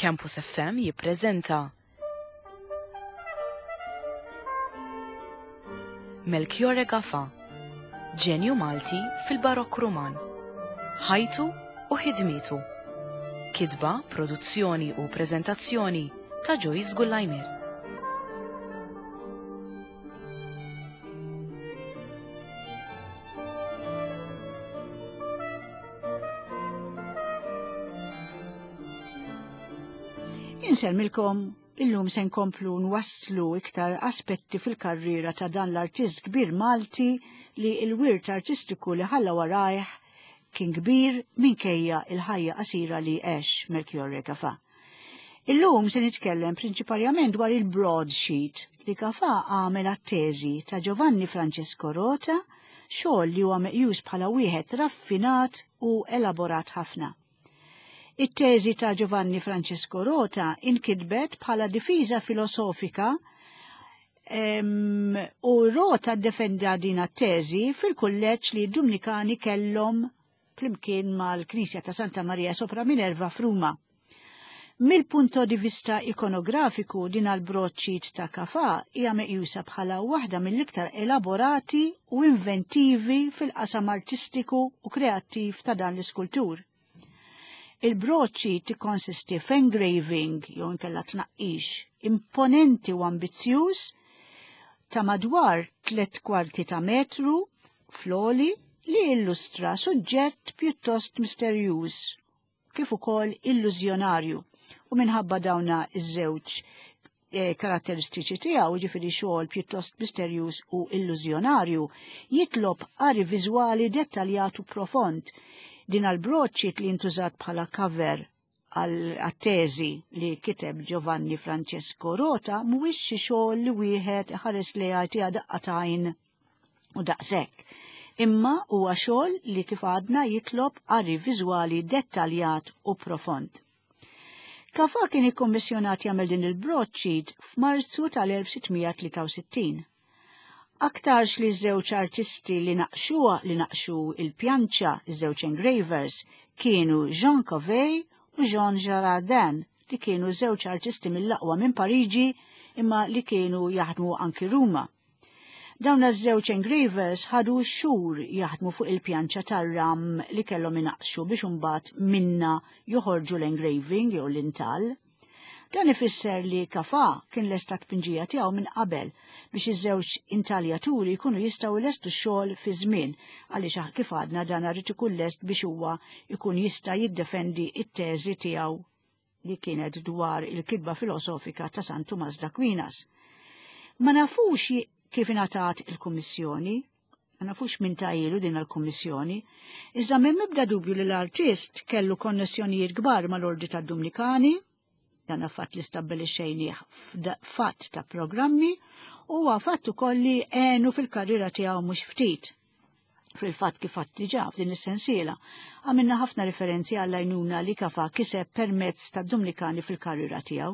Campus FM jippreżenta Melchiorre Gafa, ġenju Malti fil-Barokk Ruman. Ħajtu u ħidmietu. Kitba, produzzjoni u preżentazzjoni ta' Joyce Gullajmir. Insellmilkom illum se nkomplu nwasslu iktar aspetti fil-karriera ta' dan l-artist kbir Malti li l-wirt artistiku li ħalla warajh kien kbir minkejja il-ħajja qasira li għex Melchiorre Gafà. Illum se nitkellem prinċiparjament dwar il-broadsheet li Gafà għamel għat-teżi ta' Giovanni Francesco Rota, xogħol li huwa meqjus bħala wieħed raffinat u elaborat ħafna. It-teżi ta' Giovanni Francesco Rota inkitbet bħala difiża filosofika u Rota ddefenda din t-teżi fil-kulleġġ li d-Dumnikani kellhom flimkien mal-Knisja ta' Santa Maria sopra Minerva f'Ruma. Mill-punto di vista ikonografiku din għal-broċċit ta' Kafa hija meqjusa bħala waħda mill-iktar elaborati u inventivi fil-qasam artistiku u kreattiv ta' dan l-iskultur. Il-broċċi tikkonsisti f'engraving jew inkella tnaqqix imponenti u ambizzjuż ta' madwar tlet kwarti ta' metru fl-għoli li illustra suġġett pjuttost misterjuż kif ukoll illużjonarju u minħabba dawna iż-żewġ eh, karatteristiċi tiegħu, ġifieri xogħol pjuttost misterjuż u illużjonarju, jitlob qari viżwali dettaljat u profond. Din għal-broċċi li ntużat bħala cover għat-teżi li kiteb Giovanni Francesco Rota mhuwiex xi xogħol li wieħed ħares li jagħtiha daqqa tajn u daqshekk. Imma huwa xogħol li kif għadna jitlob qari viżwali dettaljat u profond. Kafa kien ikkommissjonat jagħmel din il-broadsheet f'Marzu tal-1663. Aktarx li ż-żewġ artisti li naqxuha li naqxu il-pjanċa, iż-żewġ engravers, kienu Jean Covey u Jean Girardin li kienu żewġ artisti mill-aqwa minn Pariġi imma li kienu jaħdmu anki Ruma. Dawn iż-żewġ engravers ħadu xhur jaħdmu fuq il-pjanċa tar-ram li kellhom inaqxu biex imbagħad minna joħorġu l-engraving jew l-intall. Dan ifisser li Kafa kien lesta tpinġija tiegħu minn qabel biex iż-żewġ intaljaturi jkunu jistgħu jlestu x-xogħol fi żmien għaliex kif għadna dan irid ikun lest biex huwa jkun jista' jiddefendi t-teżi tiegħu li kienet dwar il-kitba filosofika ta' San Tumas d'Aquinas. Ma nafux kif ingħatat il-kummissjoni, Ma nafux min tajilu din għal-kummissjoni, iżda m'hemm ebda dubju li l-artist kellu konnessjonijiet kbar mal-Ordi tad-Dumnikani, dan fatt li stabbilixxejnieh fatt ta' programmi, u huwa fatt ukoll li għenu fil-karriera tiegħu mhux ftit. Fil-fatt kif fatt diġà f'din is-sensiela, għamilna ħafna referenzi għall-għajnuna li kafa kiseb permezz tad-Dumnikani fil-karriera tiegħu.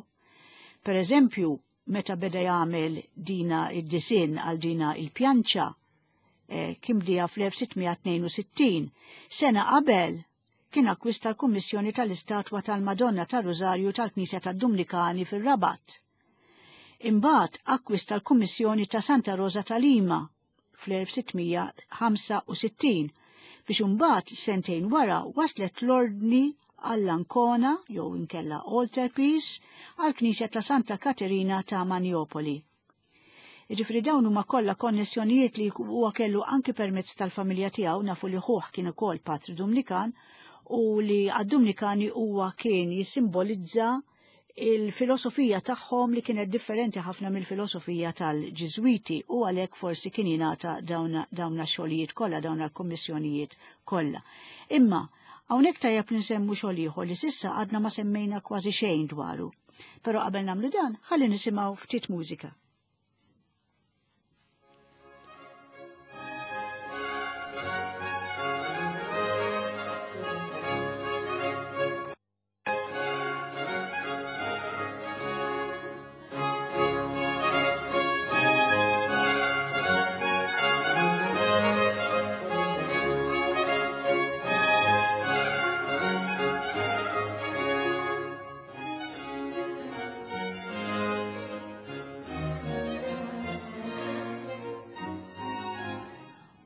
Per eżempju, meta beda jagħmel dina id-disinn għal dina il-pjanċa, eh, kien bdieha fl-1662. Sena qabel kien akkwista l-Kummissjoni tal-Istatwa tal-Madonna tar-Rużarju tal-Knisja tad-Dumnikani fir-Rabat. Imbagħad akkwista l-Kummissjoni ta' Santa Rosa ta' Lima fl-1665 biex imbagħad sentejn wara waslet l-ordni għall-Ancona jew inkella altarpiece għall-Knisja ta' Santa Katerina ta' Manjopoli. Jiġifieri dawn huma kollha konnessjonijiet li huwa kellu anki permezz tal-familja tiegħu nafu li ħuh kien ukoll patri Dumnikan u li għad-Dumnikani huwa kien jissimbolizza il-filosofija tagħhom li kienet differenti ħafna mill-filosofija tal-Ġiżwiti u għalhekk forsi kien jingħata dawn xogħlijiet kollha, dawn l-kummissjonijiet kollha. Imma hawnhekk tajjeb li nsemmu xogħol ieħor li sissa għadna ma semmejna kważi xejn dwaru. Però qabel nagħmlu dan, ħalli nisimgħu ftit mużika.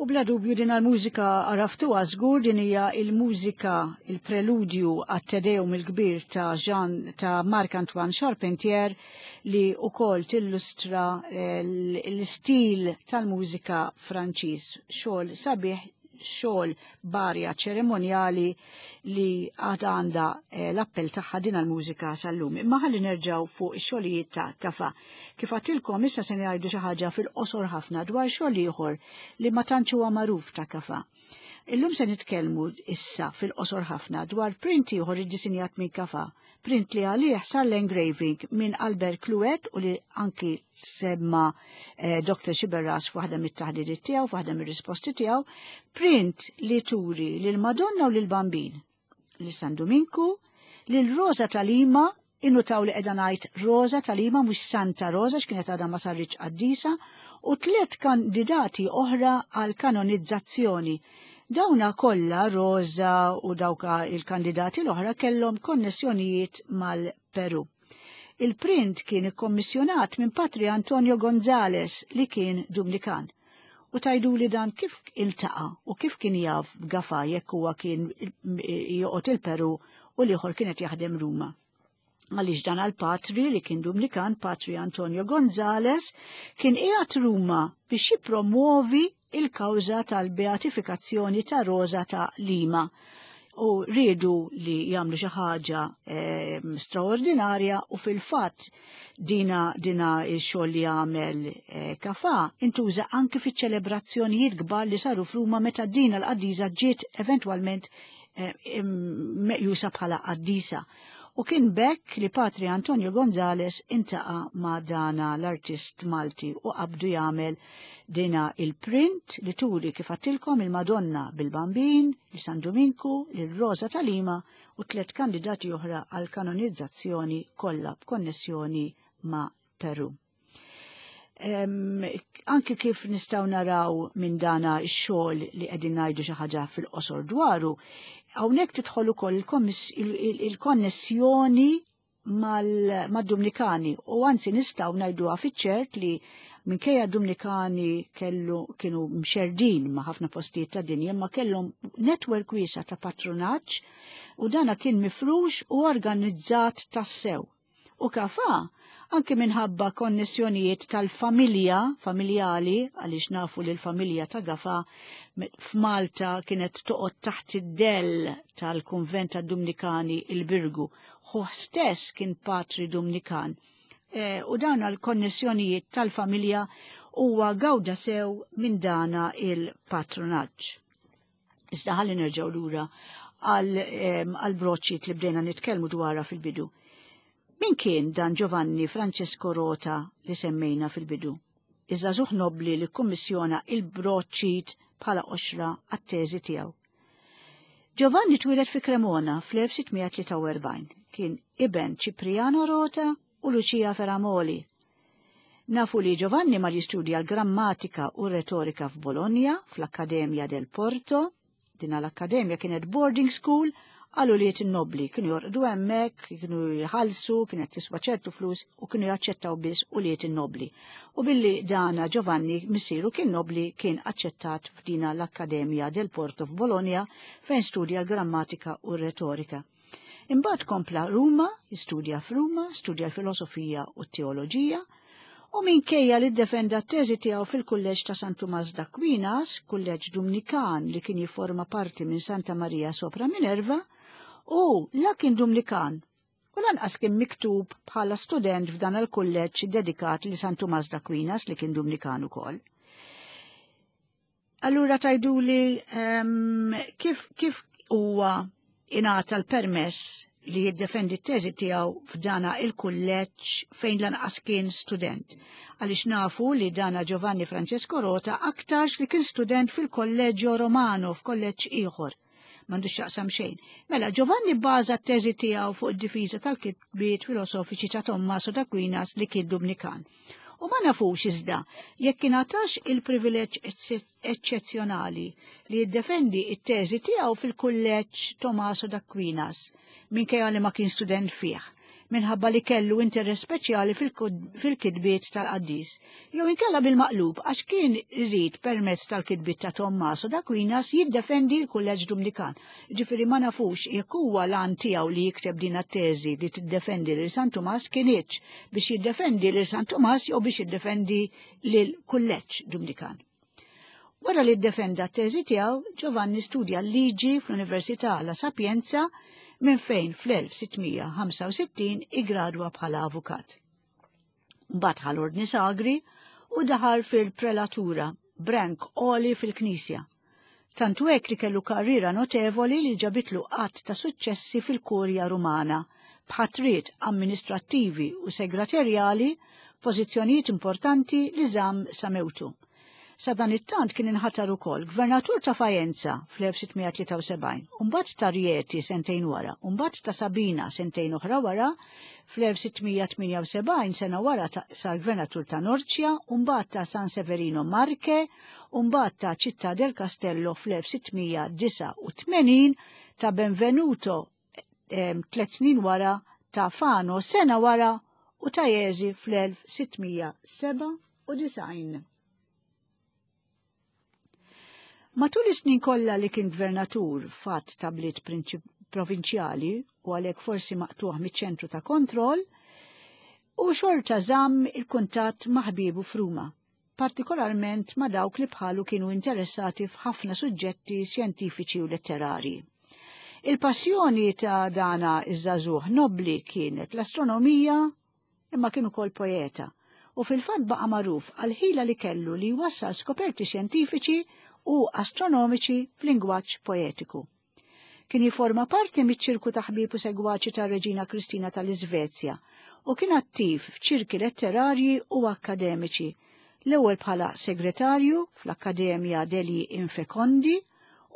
U bla dubju din għal-mużika għaraftuha żgur din hija il-mużika il-preludju għat-Te Deum il-kbir ta' Jean ta' Marc-Antoine Charpentier li wkoll tillustra eh, l-istil tal-mużika Franċiż. Xogħol sabiħ xogħol barja ċeremonjali li għad għandha eh, l-appell tagħha din għall-mużika sal-lum. Imma ħalli nerġgħu fuq ix-xogħlijiet ta' Kafa. Kif għatilkom issa se ngħidu xi ħaġa fil-qosor ħafna dwar xogħol ieħor li ma tantx huwa magħruf ta' Kafa. Illum se nitkellmu issa fil-qosor ħafna dwar print ieħor iddisinjat minn Kafa print li għalih sar l-engraving minn Albert Cluet u li anki semma eh, Dr. Xiberras f'waħda mit-taħdidiet tiegħu, f'waħda mir-risposti tiegħu, print li turi lil Madonna u lil Bambin, li San Duminku, lil Rosa tal-Ima, innutaw li qiegħda ngħid Rosa tal-Ima mhux Santa Rosa x'kienet għadha ma sarritx qaddisa, u tliet kandidati oħra għal kanonizzazzjoni Dawna kollha, Rosa u dawka il-kandidati l-oħra kellhom konnessjonijiet mal-Peru. Il-print kien ikkommissjonat minn Patri Antonio Gonzales li kien Dumnikan. U tajduli dan kif iltaqa' u kif kien jaf b'Gafà jekk huwa kien joqgħod il-Peru u l-ieħor kien qed jaħdem Ruma. Għaliex dan għal-patri li kien Dumnikan, Patri Antonio Gonzales, kien qiegħed Ruma biex jippromuovi il-kawża tal-beatifikazzjoni ta' Rosa ta' Lima u riedu li jagħmlu xi ħaġa eh, straordinarja u fil-fatt dina dina x-xogħol li għamel eh, Kafa intuża anki fiċ-ċelebrazzjonijiet kbar li saru f'Ruma meta dina l-qaddisa ġiet eventwalment eh, meqjusa bħala qaddisa. U kien bekk li Patri Antonio Gonzales intaqa ma' dana l-artist Malti u qabdu jagħmel dina il-print li turi kif għattilkom il-Madonna bil-Bambin, li San Duminku, lil Rosa ta' Lima u tliet kandidati oħra għal kanonizzazzjoni kollha b'konnessjoni ma' Peru. Anki kif nistgħu naraw minn dana x-xogħol li qegħdin ngħidu xi ħaġa fil-qosor dwaru, hawnhekk tidħol ukoll il-konnessjoni mad-Dumnikani u anzi nistgħu ngħiduha fiċ-ċert li minkejja Dumnikani kellu kienu mxerdin ma' ħafna postijiet ta' dinja ma kellhom netwerk wiesa' ta' patrunaġġ u dana kien mifrux u organizzat tassew. U Kafa, anki minħabba konnessjonijiet tal-familja, familjali, għaliex nafu li l-familja ta' Gafa f'Malta kienet toqgħod taħt id-dell tal-kunvent tad-Dumnikani il-Birgu. Ħuh stess kien patri Dumnikan. E, u dawn għal-konnessjonijiet tal-familja huwa gawda sew minn dana il-patronaġġ. Iżda ħalli nerġgħu lura għal broċċiet li bdejna nitkellmu dwarha fil-bidu. Min kien dan Giovanni Francesco Rota li semmejna fil-bidu? Iż-żagħżugħ nobbli li kkummissjona il-broċċiet bħala qoxra għat-teżi tiegħu. Giovanni twieled fi Cremona fl-1643. Kien iben Cipriano Rota u Lucia Ferramoli. Nafu li Giovanni mar jistudja l-grammatika u retorika f'Bologna, fl-Akkademja del Porto. Dina l-akkademja kienet boarding school għal ulied in-nobbli. Kienu jorqdu hemmhekk, kienu jħallsu, kienet tiswa ċertu flus u kienu jaċċettaw biss ulied in-nobbli. U billi dana Giovanni missieru kien nobbli kien aċċettat f'dina l-Akkademja del Porto f'Bologna fejn studja l-grammatika u retorika. Imbagħad kompla Ruma, jistudja f'Ruma, studja l-filosofija u t-teoloġija, u minkejja li ddefenda t-teżi tiegħu fil-kulleġġ ta' San Tumas d'Aquinas, kulleġġ Dumnikan li kien jifforma parti minn Santa Maria sopra Minerva, u la kien Dumnikan u lanqas kien miktub bħala student f'dan il-kulleġġ dedikat li San Tumas d'Aquinas li kien Dumnikan ukoll. Allura tajduli um, kif, kif huwa ingħata l-permess li jiddefendi t-teżi tiegħu f'dana il-kulleġġ fejn lanqas kien student. Għaliex nafu li dana Giovanni Francesco Rota aktarx li kien student fil-Kolleġġio Romano f'kolleġġ ieħor. M'għandux x'jaqsam xejn. Mela, Giovanni bbaża t-teżi tiegħu fuq id-difiża tal-kitbiet filosofiċi ta' Tommaso d'Aquinas li kien Dumnikan. U ma nafux iżda jekk ingħatax il-privileġġ eċċezzjonali li jiddefendi t-teżi tiegħu fil-kulleġġ Tommaso d'Aquinas, minkejja li ma kien student fih. minħabba li kellu interess speċjali fil-kitbiet tal-qaddis, jew inkella bil-maqlub għax kien irid permezz tal-kitbiet ta' Tommaso d'Aquinas jiddefendi l-Kulleġġ Dumnikan. Ġifieri ma nafux jekk huwa l-għan tiegħu li jikteb din teżi li tiddefendi lil San Tumas kinitx biex jiddefendi lil San Tumas jew biex jiddefendi lil Kulleġġ Dumnikan. Wara li ddefenda t-teżi tiegħu, Giovanni studja l-liġi fl-Università La Sapienza minn fejn fl-1665 igradwa bħala avukat. Mbagħad ħa l-ordni sagri u daħal fil-prelatura, brank għoli fil-Knisja. Tantu hekk li kellu karriera notevoli li ġabitlu qatt ta' suċċessi fil-Kurja Rumana, b'ħatriet amministrattivi u segraterjali, pożizzjonijiet importanti li żamm sa mewtu. Sadanittant kien inħatar ukoll gvernatur ta' Faenza fl-1673, u mbagħad ta' Rieti sentejn wara, u mbagħad ta' Sabina sentejn oħra wara, fl-1678 sena wara sar gvernatur ta' Norcia, u mbagħad ta' San Severino Marche, u mbagħad ta' Città del Castello fl-1689, ta' Benvenuto tlet snin wara, ta' Fano sena wara u ta' Jesi fl-1697. Matul is-snin kollha li kien gvernatur fatt ta' bliet provinċjali u għalhekk forsi maqtuħ miċ-ċentru ta' kontroll, u xorta żamm il-kuntatt ma' ħbiebu f'Ruma, partikolarment ma' dawk li bħalu kienu interessati f'ħafna suġġetti xjentifiċi u letterari. Il-passjoni ta' dana iż-żagħżugħ nobbli kienet l-astronomija imma kien ukoll poeta u fil-fatt baqa' magħruf għall-ħila li kellu li jwassal skoperti xjentifiċi u astronomiċi f'lingwaġġ poetiku. Kien jiforma parti miċ-ċirku ta' ħbieb u segwaċi tar-Reġina Kristina tal-Iżvezja u kien attiv f'ċirki letterarji u akkademiċi, l-ewwel bħala segretarju fl-Akkademja degli Infecondi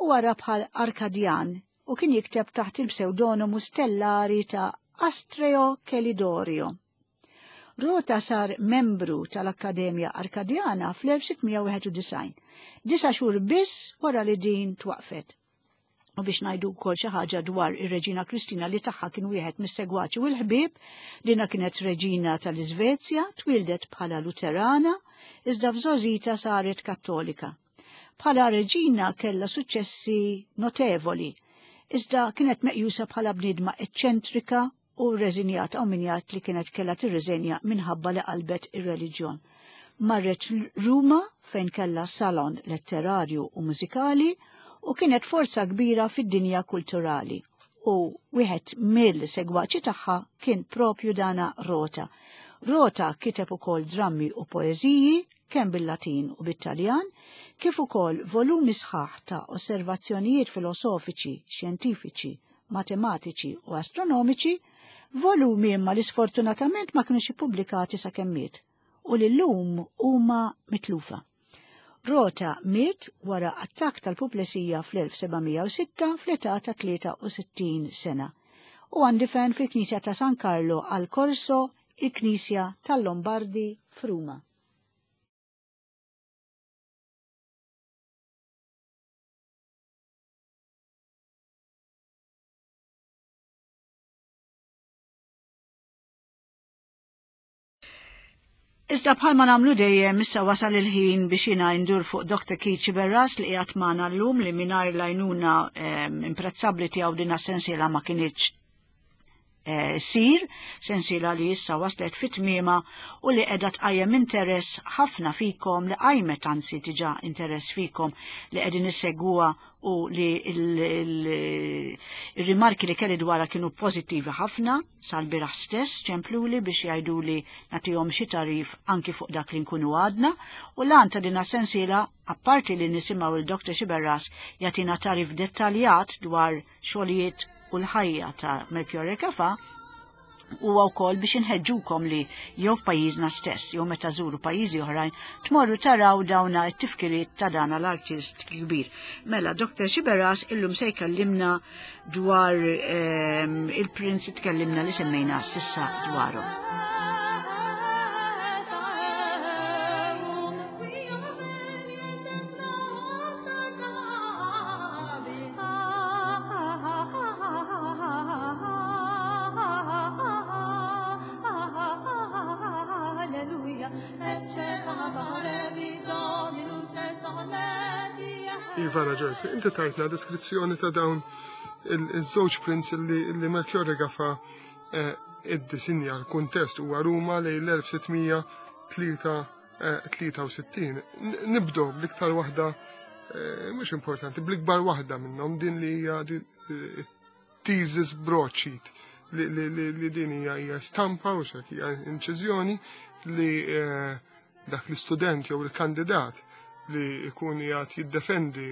u wara bħal Arkadjan u kien jikteb taħt il-psewdonomu stellari ta' Astreo Chelidorio. Rota sar membru tal-Akkademja Arkadjana fl-1691, disa xhur biss wara li din twaqfet. U biex ngħidu wkoll xi ħaġa dwar ir-Reġina Kristina li tagħha kien wieħed mis-segwaċi u l-ħbieb, dina kienet reġina tal-Iżvezja, twildet bħala Luterana, iżda f'żgħożita saret Kattolika. Bħala reġina kellha suċċessi notevoli, iżda kienet meqjusa bħala bniedma eċċentrika u rreżinjata u min jgħid li kienet kellha tirriżenja minħabba li qalbet ir-reliġjon. Marret Ruma fejn kellha salon letterarju u mużikali u kienet forza kbira fid-dinja kulturali u wieħed mill-segwaċi tagħha kien propju dana Rota. Rota kiteb ukoll drammi u poeżiji kemm bil-Latin u bit-Taljan, kif ukoll volumi sħaħ ta' osservazzjonijiet filosofiċi, xjentifiċi, matematiċi u astronomiċi, volumi imma li sfortunatament ma kinux ippubblikati sakemm miet u li llum huma mitlufa. Rota miet wara attakk tal-puplesija fl-1706 fl-età ta' 63 sena u għandifen fil-Knisja ta' San Carlo al Corso, il-Knisja tal-Lombardi f'Ruma. Iżda bħalma nagħmlu dejjem issa wasal il-ħin biex jiena ndur fuq Dr. Keith Sciberras li qiegħed magħna llum li mingħajr l-għajnuna imprezzabbli tiegħu din sensiela ma kinitx ssir, sensiela li issa waslet fi tmiemha u li qiegħda tqajjem interess ħafna fikom li qajmet anzi diġà interess fikom li qegħdin issegwuha u li il-rimarki li kelli dwarha kienu pożittivi ħafna sal-bieraħ stess ċempluli biex jgħiduli nagħtihom xi tagħrif anki fuq dak li nkunu għadna u l-għan ta' din sensiela apparti li nisimgħu il-Dr. Sciberras jagħtina tagħrif dettaljat dwar xogħlijiet u l-ħajja ta' Melchiorre Gafà huwa wkoll biex inħeġġukom li jew f'pajjiżna stess jew meta żuru pajjiżi oħrajn tmorru taraw dawna t-tifkiriet ta' dana l-artist kbir. Mela, Dr. Sciberras illum se jkellimna dwar il-prinz tkellimna li semmejna sissa dwaru. Ivana Joyce, inti tajtna deskrizzjoni ta' dawn il-żewġ prints li Melchiorre Gafa iddisinja. L-kuntest huwa Ruma lejn l-1663. Nibdew bl-iktar waħda mhux importanti, bl-ikbar waħda minnhom, din li hija thesis broadsheet, li din hija stampa u xek hija inċiżjoni li dak l-istudent jew il-kandidat li jkun jgħat jiddefendi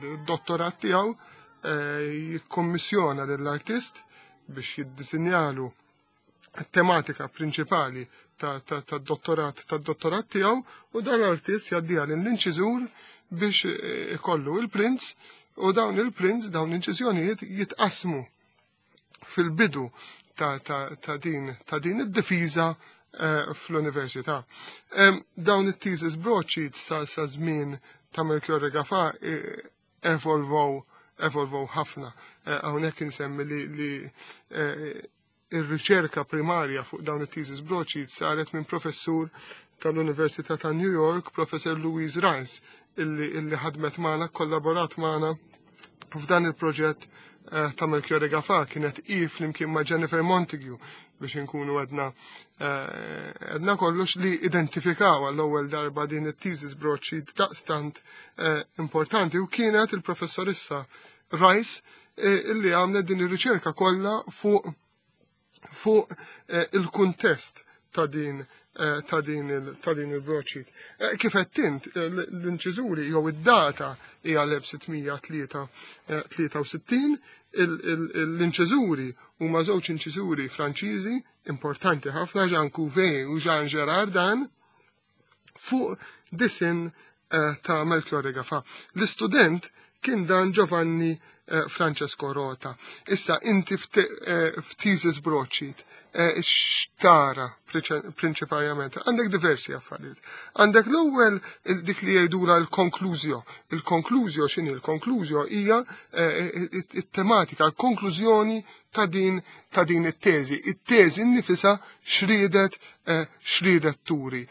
d-dottorat tiegħu jikkommissjona lill-artist biex jiddisinjalu tematika prinċipali tad-dottorat tiegħu, u dan l-artist jgħaddiha lill-inċiżur biex ikollu il-prints, u dawn il-prints, dawn l-inċiżjonijiet jitqasmu fil-bidu ta' din id-difiża fl-università. Dawn it-thesis broadsheets sa żmien ta' Melchiorre Gafa evolvow ħafna. Hawnhekk insemmi li ir-riċerka primarja fuq dawn it-thesis broadsheets saret minn professur tal-Università ta' New York, Professor Louise Rice, illi ħadmet magħna, kollaborat magħna f'dan il-proġett ta' Melchiorre Gafa. Kienet i flimkien ma' Jennifer Montague, biex inkunu għedna kollox, li identifikaw għall-ewwel darba din it-thesis broadsheet daqstant importanti, u kienet il-professorissa Rice illi għamlet din ir-riċerka kollha fuq il-kuntest ta' din il-broadsheet. Kif qed int, l-inċiżuri jew id-data hija l-1663, l-inċiżuri huma żewġ inċiżuri Franċiżi importanti ħafna, Jean Couvet u Jean Gerardin, fuq disin ta' Melchiorre Gafa. L-istudent kien dan Giovanni Francesco Rota. Issa inti f'thesis broadsheet xtara prinċipalment? Għandek diversi affarijiet. Għandek l-ewwel dik li jgħidula l-konklużjo. Il-konklużjo x'inhi? Il-konklużjo hija it-tematika, l-konklużjoni ta' din it-teżi. It-teżi nnifisha xriedet turi.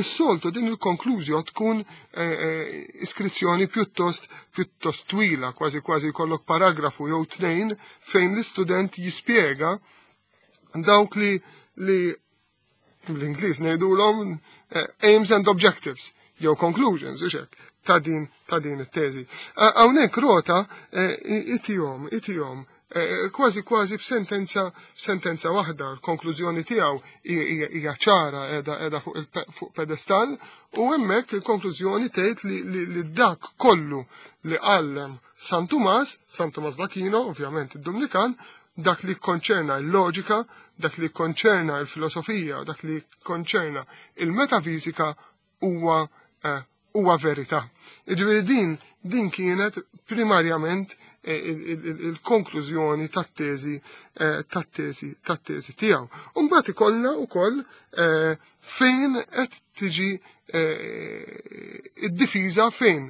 Is-soltu din il-konklużjo tkun iskrizzjoni pjuttost twila, kważi kważi jkollok paragrafu jew tnejn fejn l-istudent jispjega dawk li bl-Ingliż ngħidulhom aims and objectives jew conclusions u xek ta' din it-teżi. Hawnhekk Rota itihom kważi kważi f'sentenza waħda. L-konklużjoni tiegħu hija ċara, qiegħda fuq pedestal, u hemmhekk il-konklużjoni tgħid li dak kollu li għallem San Tumas, San Tumas d'Aquino, ovvjament id-Dumnikan, dak li konċerna l-loġika, dak li konċerna l-filosofija, dak li konċerna il-metafizika huwa verità. Jiġifieri din kienet primarjament il-konklużjoni tat-teżi tiegħu. Mbagħad ikollna wkoll fejn qed tiġi id-difiża, fejn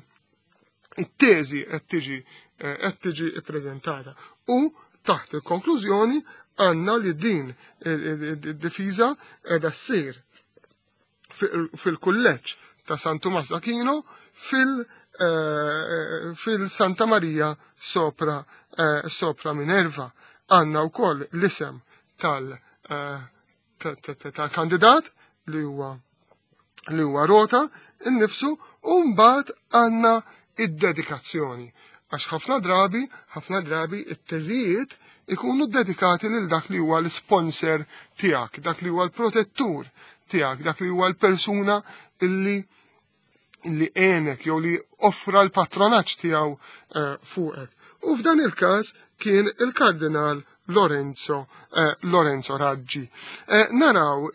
it-teżi qed tiġi ippreżentata. U taħt il-konklużjoni għandna li din id-difiża qiegħda ssir fil-kulleġġ ta' San Tumas Aquino fil-Santa Maria sopra Minerva. Għandna wkoll l-isem tal-kandidat li huwa Rota innifsu, u mbagħad għandna id-dedikazzjoni. Għax ħafna drabi it-teżijiet ikunu dedikati lil dak li huwa l-sponsor tiegħek, dak li huwa l-protettur tiegħek, dak li huwa l-persuna illi għenek jew li offra l-patronaġġ tiegħu fuqek. U f'dan il-każ kien il-Kardinal Lorenzo Raggi. Naraw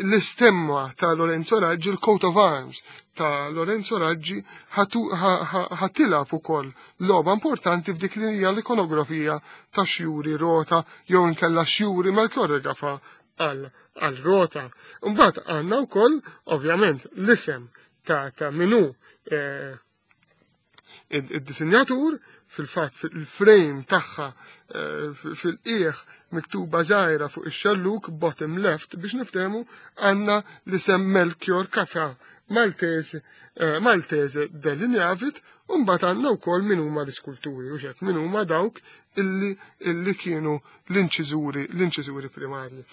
l-istemma ta' Lorenzo Raggi, il-coat of arms ta' Lorenzo Raggi, ħa tilgħab ukoll logħba importanti f'dik li hija l-ikonografija ta' xjuri Rota jew inkella xjuri Melchiorre Gafa għal Rota. Mbagħad għandna wkoll ovvjament l-isem ta' minu id-disinjatur. Fil-fatt fil-frame tagħha fil-qiegħ, miktuba żgħira fuq ix-xelluk, bottom left biex niftehmu, għandna l-isem Melchior Gafa. Maltese eh, Maltese delineavit u mbagħad għandna wkoll min huma l-iskulturi u xek min huma dawk illi illi kienu l-inċiżuri l-inċiżuri primarji.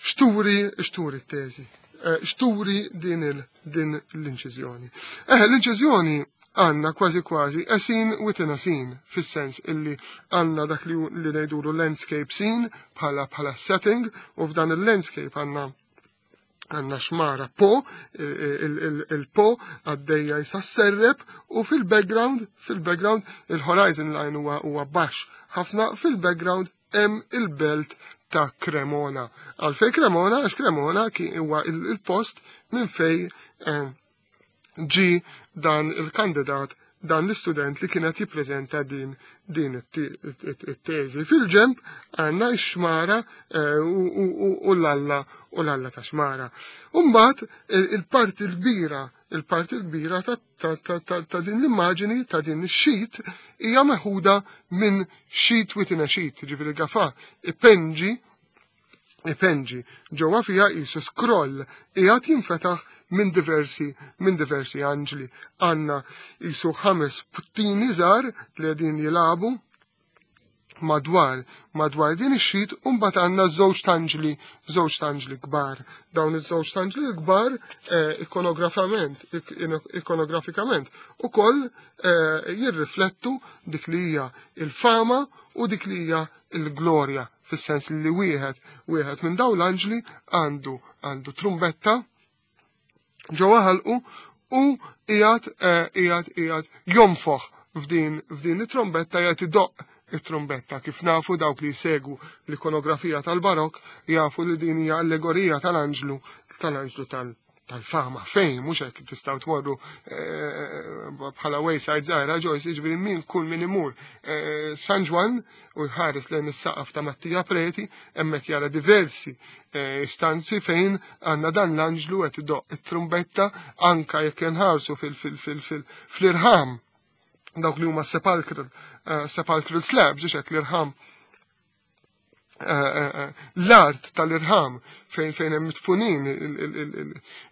Xturi xturi t-teżi, eh, xturi din il din l-inċiżjoni. Eh, l-inċiżjoni għanna kważi kważi a scene within a scene, fis-sens illi għanna dak li li ngħidulu landscape scene bħala bħala setting u f'dan il-landscape għanna għanna xmara Po, il-Po għaddejja jisasserreb u fil-background, fil-background il-horizon line huwa huwa baxx ħafna fil-background hemm il-belt ta' Cremona. Għalfej Cremona, għax Cremona huwa il-post minn fej eh, ġi dan il-kandidat dan l-istudent li kienet jippreżenta din din it-teżi. Fil-ġemp għandna x-xmara eh, u l-alla u l-alla ta' xmara. Umbagħad il-parti l-kbira il-parti l-kbira ta' din l-immaġini ta' din ix-sheet hija meħuda minn sheet within a sheet, ġifieri Gafà ipenġi ipenġi ġewwa fiha qisu scroll qiegħed jinfetaħ minn diversi minn diversi anġli. Għandna qisu ħames puttini żgħar li qegħdin jilagħbu madwar madwar din ix-sheet u mbagħad għandna żewġ tanġli żewġ tanġli kbar. Dawn iż-żewġ tanġli kbar eh, ikonografament ikonografikament ukoll eh, jirriflettu dik li hija il-fama u dik li hija il-glorja fis-sens li wieħed wieħed minn dawn l-anġli għandu għandu trumbetta ġewwa ħalqu u qiegħed eh, qiegħed qiegħed jonfoħ f'din f'din it-trombetta qiegħed idoqq it-trombetta. Kif nafu dawk li jsegwu l-ikonografija tal-Barok jafu li din hija allegorija tal-anġlu tal-anġlu tal tal-fama fejn mhux hekk tistgħu tmorru eh, bħala wayside żgħira Joyce jiġifieri min kull min imur eh, San Ġwann u jħares lejn is-saqaf ta' Mattia Preti hemmhekk jara diversi eh, istanzi fejn għandna dan l-anġlu qed idoq it-trumbetta anka jekk inħarsu fil-irħam dawk li huma sepulchral sepulchral slabs, hekk l-irħam Eh, eh, eh, l-art tal-irħam fejn fejn hemm mitfunin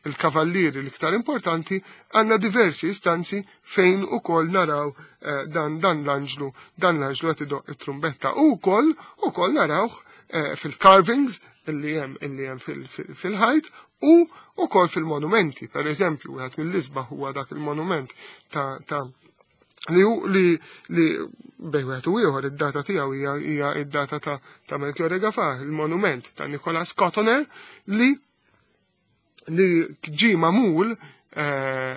il-kavallieri l-iktar importanti għandna diversi istanzi fejn ukoll naraw dan dan l-anġlu dan l-anġlu qed idoq it-trumbetta u wkoll ukoll narawh fil-carvings illi hemm illi hemm fil-ħajt u ukoll fil-monumenti. Per eżempju, wieħed mill-isbaħ huwa dak il-monument ta' ta' li hu li li bejn wieħed u ieħor id-data tiegħu hija hija id-data ta' ta' Melchiorre Gafà, il-monument ta' Nicolas Cotoner li li ġie magħmul eh,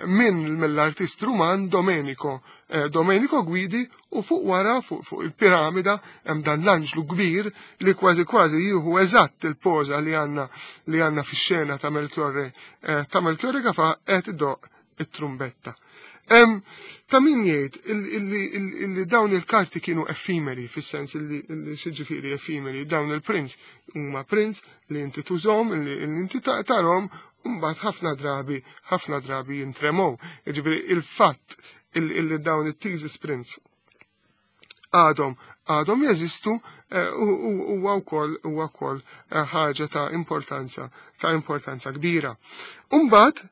minn mill-artist Ruman Domenico eh, Domenico Guidi u fuq wara fuq fuq il-piramida hemm dan l-anġlu kbir li kważi kważi jieħu eżatt il-poża li għandna li għandna fix-xena ta' Melchiorre eh, ta' Melchiorre Gafà qed idoq it-trumbetta. Ta' min jgħid illi dawn il-karti kienu effimeri, fis-sens illi xiġifieri effimeri, dawn il-prints huma prints li inti tużhom, li inti tarhom, u mbagħad ħafna drabi, ħafna drabi jintremow. Jiġifieri il-fatt illi dawn it-thesis prints għadhom għadhom jeżistu eh, huwa wkoll huwa wkoll eh, ħaġa ta' importanza ta' importanza kbira. Umbagħad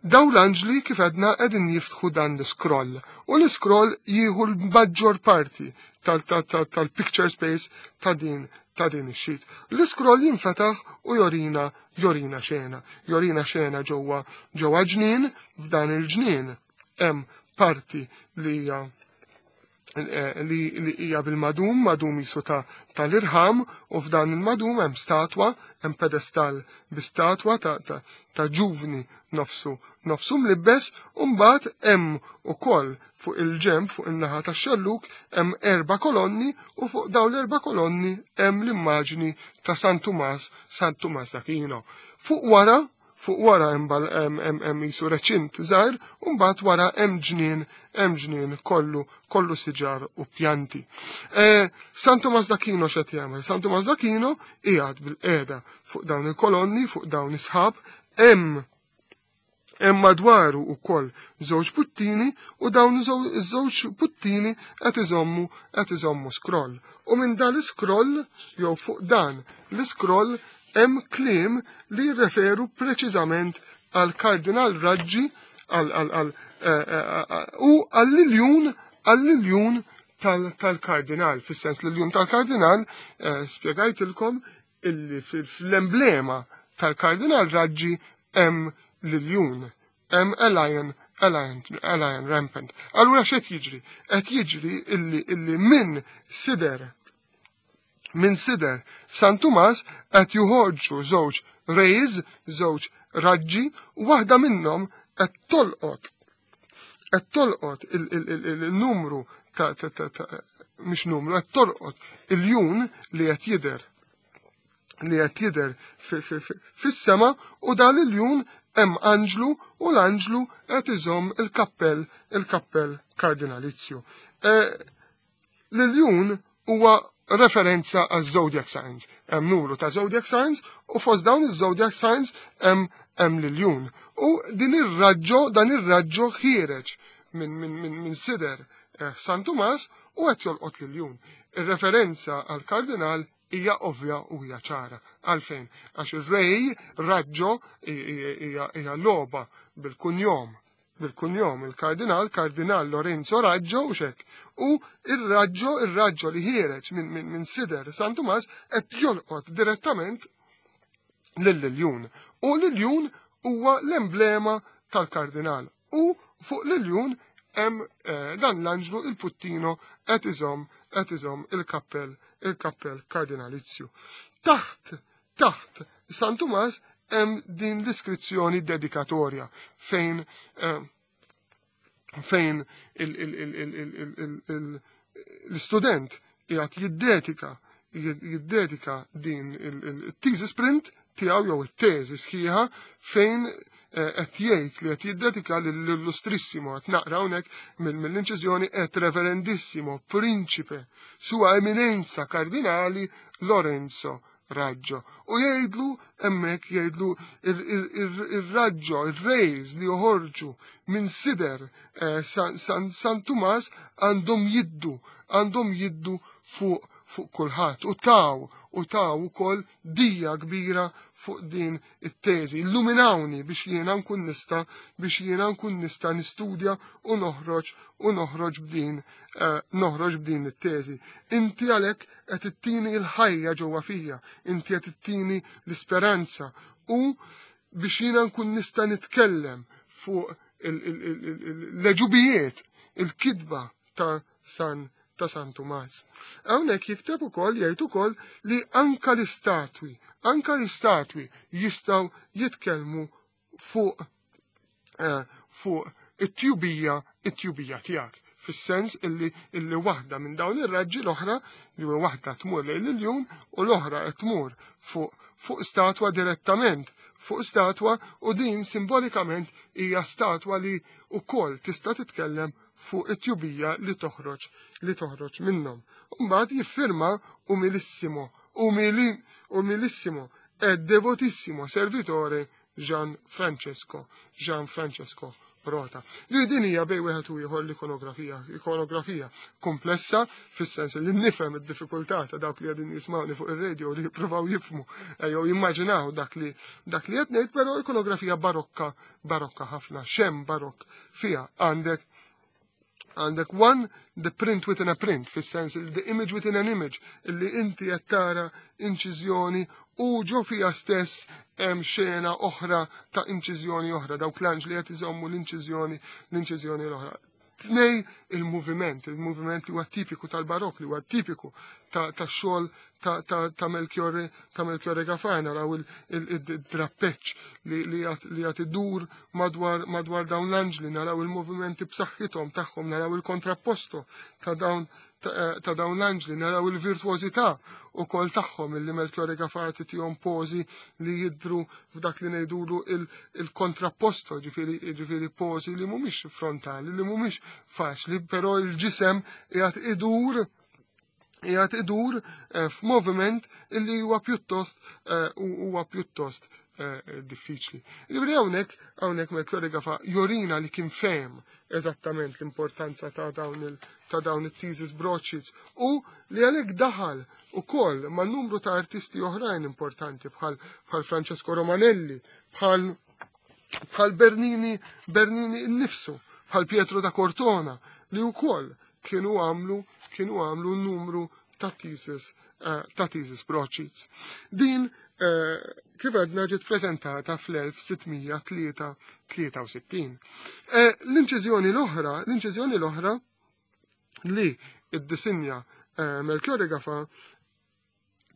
daw l-anġli kif għedna qegħdin jiftħu dan l-scroll u l-scroll jieħu l-maġġor parti tal-picture space ta' din ta' din ix-sheet. L-scroll jinfetaħ u jorina jorina xena, jorina xena ġewwa ġewwa ġnien f'dan il-ġnien hemm parti li hija eh, li hija bil-madum, madum jisu ta' tal-irħam, u f'dan il-madum hemm statwa, hemm pedestal bi statwa ta', ta, ta ġuvni nofsu, nofsu mlibbes, u mbagħad hemm ukoll fuq il-ġemp fuq in-naħa tax-xelluk hemm erba' kolonni u fuq dawn l-erba' kolonni hemm l-immaġni ta' San Tumas, San Tumas d'Aquino. Fuq wara Fuq wara hemm hemm qisu reċint żgħir u mbagħad wara hemm ġnien hemm ġnien kollu kollu siġar u pjanti. E, San Tumas d'Aquino x'qed jagħmel? San Tumas d'Aquino qiegħed bil-qiegħda fuq dawn il-kolonni, fuq dawn is-sħab, hemm hemm madwaru wkoll żewġ puttini u dawn iż-żewġ puttini qed iżommu qed iżommu scroll. U minn dan l-scroll jew fuq dan l-scroll hemm kliem li jirreferu preċiżament għal Kardinal Raġġi għal u għall-iljun għall-iljun tal-kardinal, fis-sens l-iljun tal-kardinal spjegajtilkom illi fl-emblema tal-kardinal Raġġi hemm l-iljun, hemm a lion, a lion, a lion rampant. Allura x'qed jiġri? Qed jiġri illi minn sider minn sider San Tumas qed joħorġu żewġ rays, żewġ raġġi, u waħda minnhom qed tolqot qed tolqot il-numru ta' mhix numru, qed tolqot il-jun li qed jidher li qed jidher fis-sema u dan il-jun hemm anġlu u l-anġlu qed iżomm il-kappell il-kappell kardinalizju. L-iljun huwa referenza għaż zodiac signs. Hemm numru ta' zodiac signs u fost dawn iż-zodiac signs hemm hemm l-iljun. U din ir-raġġo dan ir-raġġo ħiereġ minn min, min, min sider San Tumas u qed jolqot l-iljun. Ir-referenza għal kardinal hija ovvja u hija ċara. Għalfejn? Għax ir-ray raġġo hija logħba bil-kunjom bil-kunjom il-kardinal, kardinal Lorenzo Raggio u xek. U il-raġġo, il-raġġo li ħiereġ minn min, min sider San Tumas qed jolqot direttament lill-iljun. U l-iljun huwa l-emblema tal-kardinal. U fuq l-iljun hemm dan l-anġlu il-puttino qed iżomm qed iżomm il-kappell il-kappell kardinalizju. Taħt taħt San Tumas hemm din l-iskrizzjoni dedikatorja fejn fejn l-istudent qiegħed jiddedika jiddedika din il-thesis print tiegħu jew it-teżi sħiħa fejn qed jgħid li qed jiddedika lill-illustrissimo qed naqra hawnhekk mill-inċiżjoni et reverendissimo principe sua eminenza kardinali Lorenzo Raggio. U jgħidlu hemmhekk jgħidlu ir-raġġo, ir-rays li joħorġu minn sider San Tumas għandhom jiddu, għandhom jiddu fuq fuq kulħadd u taw u taw ukoll dija kbira fuq din it-teżi. Illuminawni biex jiena nkun nista' biex jiena nkun nista' nistudja u noħroġ u noħroġ b'din noħroġ b'din it-teżi. Inti għalhekk qed ittini l-ħajja ġewwa fija, inti qed ittini l-isperanza u biex jiena nkun nista' nitkellem fuq l-għeġubijiet, il-kitba ta' San ta' San Tumas. Hawnhekk jikteb ukoll jgħid ukoll li anka l-istatwi, anka l-istatwi jistgħu jitkellmu fuq fuq it-tjubija it-tjubija tiegħek. Fis-sens illi illi waħda minn dawn ir-raġġi l-oħra li huwa waħda tmur lejn l-iljun u l-oħra qed tmur fuq fuq statwa direttament fuq statwa u din simbolikament hija statwa li wkoll tista' titkellem fuq it-tjubija li toħroġ li toħroġ minnhom. Mbagħad jiffirma umilissimo, umili, umilissimo e devotissimo servitore Gian Francesco, Gian Francesco Rota. Li din hija bej wieħed u ieħor l-ikonografija, ikonografija komplessa fis-sens li nifhem id-diffikultà ta' dawk li qegħdin jismawni fuq ir-radio li jippruvaw jifhmu jew jimmaġinaw dak li dak li qed ngħid, però ikonografija barokka, barokka ħafna, xem barokk fiha għandek għandek one, the print within a print, fis-sens the image within an image, illi inti qed tara inċiżjoni u ġo fija stess hemm xena oħra ta' inċiżjoni oħra, dawk l-anġli qed iżommu l-inċiżjoni l-inċiżjoni l-oħra. Tnej il-moviment, il-moviment li huwa tipiku tal-barok, li huwa tipiku ta' xogħol ta' Melchiorre ta' Melchiorre Gafà, naraw il-drappeċ li qed idur madwar madwar dawn l-anġli, naraw il-movimenti b'saħħithom tagħhom, naraw il-kontrapposto ta' dawn ta' dawn l-anġli, naraw il-virtuożità ukoll tagħhom illi Melchiorre Gafà tihom pożi li jidru f'dak li ngħidulu il-kontrapposto, ġifieri pożi li mhumiex frontali, li mhumiex faċli, però il-ġisem qiegħed idur qiegħed idur f'moviment illi huwa pjuttost huwa pjuttost diffiċli. Ġifieri hawnhekk hawnhekk Melchiorre Gafà jorina li kien fehem eżattament l-importanza ta' dawn il ta' dawn it-thesis broadsheets u li għalhekk daħal ukoll ma' numru ta' artisti oħrajn importanti bħal bħal Francesco Romanelli, bħal bħal Bernini, Bernini nnifsu, bħal Pietro da Cortona, li wkoll kienu għamlu numru ta' thesis broadsheets. Din kif għedna ġiet prezentata fl-1663. L-inċiżjoni l-oħra li id-disinja Melchiorre Gafà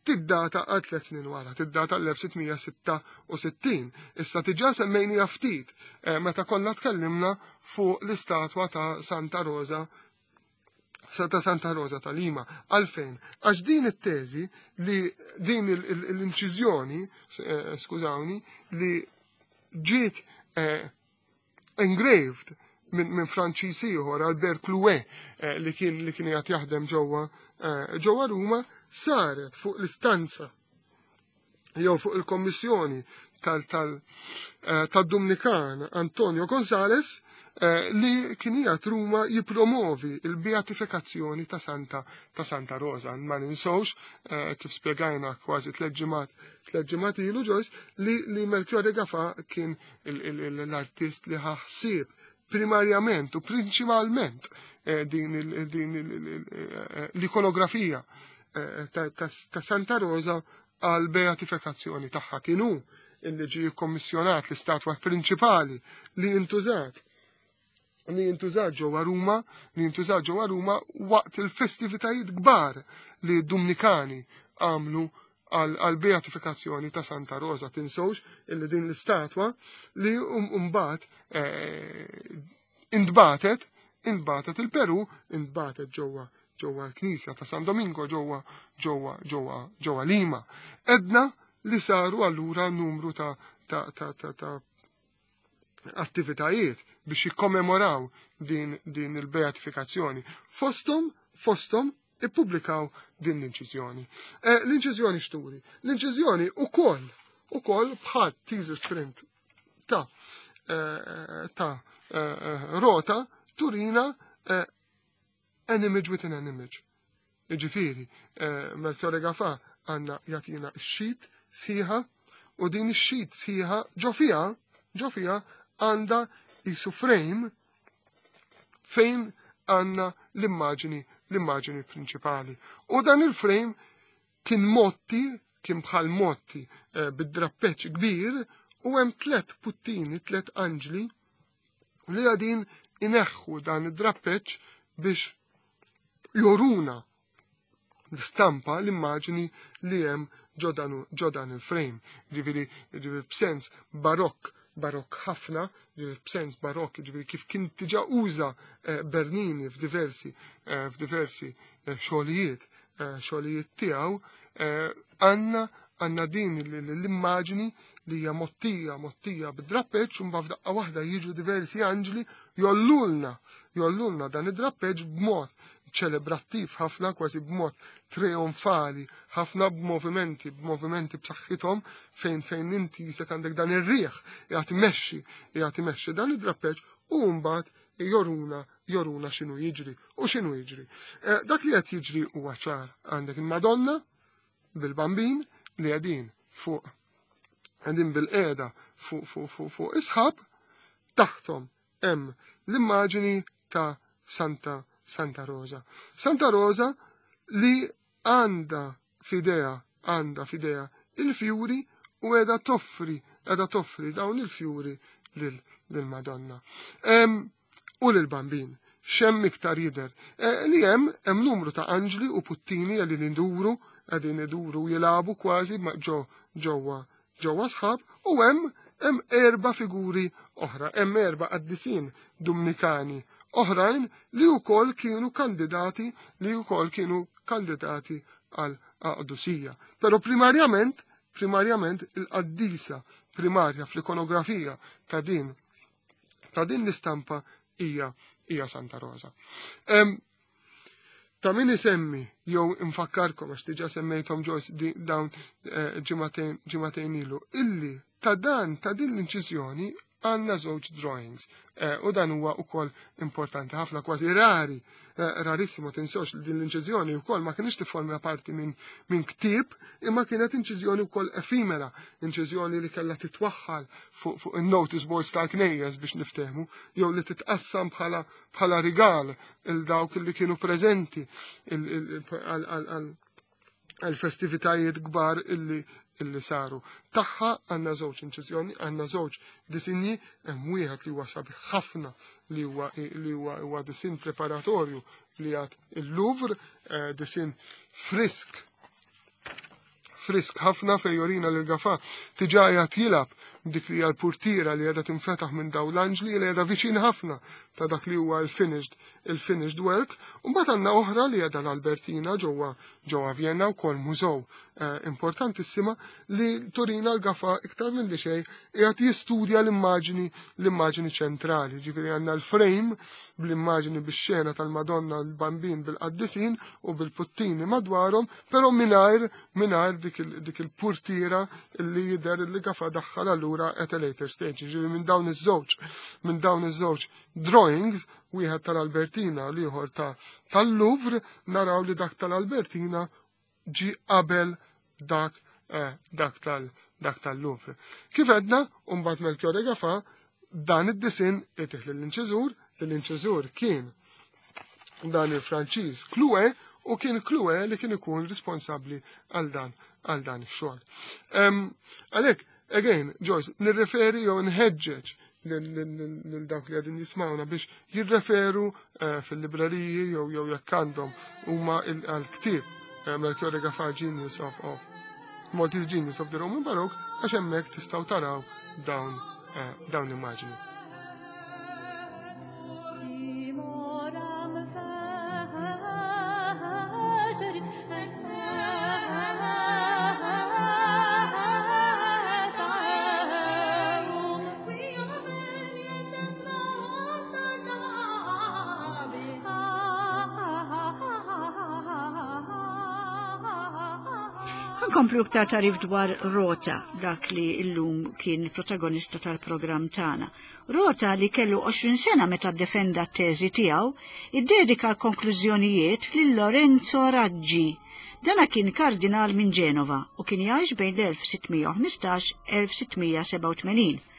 tiddata għal 3 snin wara, tiddata l-1666. Issa diġà semmejni ftit meta konna tkellimna fuq l-istatwa ta' Santa Rosa ta' Lima. Għalfejn? Għax din it-teżi li din l-inċiżjoni, skużawni, li ġiet engraved minn Franċiż ieħor, Albert Clouet, li kien qed jaħdem ġewwa Ruma, saret fuq l-istanza jew fuq il-kommissjoni tal-Dumnikan Antonio Gonzales, li kien qiegħed Ruma jipromovi il-beatifikazzjoni ta' Santa Rosa. Ma ninsewx, kif spjegajna kważi 3 ġimgħat ilu, Joyce, li Melchiorre Gafà kien l-artist li ħa ħsieb primarjament u prinċipalment din l-ikonografija ta' Santa Rosa għal beatifikazzjoni tagħha. Kienu illi ġi kommissjonat l-istatwa prinċipali li jintużat ġewwa Ruma, li jintużat ġewwa Ruma waqt il-festivitajiet kbar li Dumnikani għamlu għal beatifikazzjoni ta' Santa Rosa. Tinsewx illi din l-istatwa li mbagħad intbagħtet il-Peru, intbagħtet ġewwa l-Knisja ta' San Domingo ġewwa Lima. Edna li saru allura numru ta' attivitajiet biex jikkommemoraw din il-beatifikazzjoni. Fostom ippubblikaw din l-inċiżjoni. L-inċiżjoni x'turi? L-inċiżjoni ukoll bħal thesis print ta' Rota turina an image within an image. Ġifieri, Melchiorre Gafà għandna jagħtina sheet sħiħa u din ix-sheet sħiħa ġo fiha għandha jisu frame fejn għandna l-immaġini prinċipali. U dan il-frame kien motti, kien bħal motti bid-drappeċ kbir u hemm tlet puttini, tlet anġli li għadin ineħħu dan id-drappeċ biex joruna l-stampa, l-immaġini li hemm ġo dan il-frame. Ġifieri b'sens barokk, barokk ħafna, ġifieri b'sens barokk, ġifieri kif kien diġà uża Bernini f'diversi xogħlijiet tiegħu, għandna din l-immaġini li hija mottija bid-drappeġġ u mbagħad f'daqqa waħda jiġu diversi anġli jollulna dan id-drappeġġ b'mod ċelebrattiv ħafna, kważi b'mod trionfali ħafna, b'movimenti b'saħħithom fejn inti jisek għandek dan ir-riħ qiegħed imexxi dan id-drappeġġ u mbagħad joruna x'inhu jiġri u x'inhu jiġri. Dak li qed jiġri huwa ċar: għandek il-Madonna bil-Bambin li qegħdin bil-qiegħda fuq isħab, taħtom hemm l-immaġini ta' Santa Rosa. Santa Rosa li għandha f'idejha il-fjuri u qiegħda toffri dawn il-fjuri lil-Madonna u lil-Bambin. X'hemm iktar jidher? Li hemm numru ta' anġli u puttini li nduru, qegħdin iduru jilagħbu kważi ġewwa sħab u hemm erba' figuri oħra, hemm erba' qaddisin Dumnikani oħrajn li wkoll kienu kandidati għal qdusija. Però primarjament il-qaddisa primarja fl-ikonografija ta' din l-istampa hija Santa Rosa. Ta' min isemmi jew infakkarkom, għax diġà semmejthom, Joyce, dawn ġimagħtejn ilu, illi ta' din l-inċiżjoni. għandna żewġ drawings. Eh, u dan huwa wkoll importanti ħafna kważi rari, eh, rarissimo tinsewx li din l-inċiżjoni wkoll ma kienx tifforma parti minn min ktieb, imma kienet inċiżjoni wkoll efimera, inċiżjoni li kellha titwaħħal fuq fu il-notice boards tal-knejjes biex niftehmu, jew li titqassam bħala bħala rigal il dawk li kienu preżenti għal festivitajiet kbar illi illi saru. Taħħa għandna żewġ inċiżjoni, għandna żewġ disinji, hemm wieħed li huwa sabiħ ħafna li huwa li huwa huwa disin preparatorju li għad il-Louvre, eh, disin frisk frisk ħafna fejn jorina lil Gafà diġà qiegħed jilgħab dik li hija l-purtiera li qiegħda tinfetaħ minn dawn l-anġli li qiegħda viċin ħafna ta' dak li huwa l-finished il-finished work. U mbagħad għandna oħra li qiegħda l-Albertina ġewwa ġewwa Vienna wkoll mużew eh, importantissima li turina l-Gafà iktar minn li xejn qiegħed jistudja l-immaġini l-immaġini ċentrali. Ġifieri għandna l-frame bl-immaġini bix-xena tal-Madonna l-Bambin bil-qaddisin u bil-puttini madwarhom, però mingħajr mingħajr dik il-purtiera li jidher li Gafà daħħal allura at a later stage. Ġifieri minn dawn iż-żewġ minn dawn iż-żewġ drawings, wieħed tal-Albertina u l-ieħor tal-Louvre, naraw li dak tal-Albertina ġi qabel dak eh, dak tal dak tal-Louvre. Kif għedna, mbagħad Melchiorre Gafà dan id-disin itih lill-inċiżur, l-inċiżur kien dan il-Franċiż Clue u kien Clue li kien ikun responsabbli għal dan għal dan ix-xogħol. Għalhekk, again, Joyce, nirreferi jew nħeġġeġ lil dawk li għadin jismawna biex jirreferu eh, fil-libreriji jew jew jekk għandhom huma għal-ktieb eh, Melchiorre Gafà Genius of, of Maltese Genius of the Roman Baroque għax hemmhekk tistgħu taraw dawn eh, dawn l-immaġni. Nkomplu iktar tarif dwar Rota, dak li illum kien protagonista tal-programm tagħna. Rota li kellu 20 sena meta ddefenda t-teżi tiegħu, iddedika l-konklużjonijiet lil Lorenzo Raggi. Dana kien kardinal minn Ġenova u kien jgħix bejn l-1615-1687.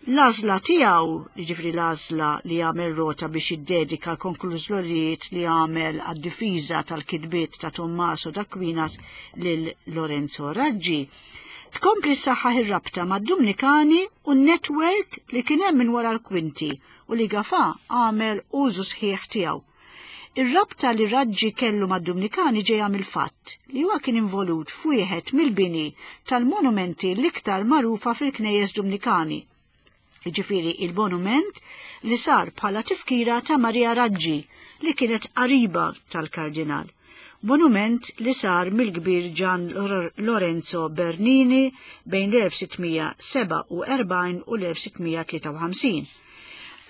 L-għażla tiegħu, jiġifieri l-għażla li għamel Rota biex jiddedika l-konklużjonijiet li għamel għad-difiża tal-kitbiet ta' Tommaso d'Aquinas lil Lorenzo Raggi, tkompli ssaħħaħ ir-rabta mad-Dumnikani u n-netwerk li kien hemm minn wara l-kwinti u li Gafà għamel użu sħiħ tiegħu. Ir-rabta li Raggi kellu mad-Dumnikani ġejja mill-fatt li huwa kien involut f'wieħed mill-bini tal-monumenti l-iktar magħrufa fil-knejjes Dumnikani, jiġifieri il-monument li sar bħala tifkira ta' Maria Raggi li kienet qariba tal-kardinal. Monument li sar mill-kbir Gian Lorenzo Bernini bejn l-1647 u l-1653.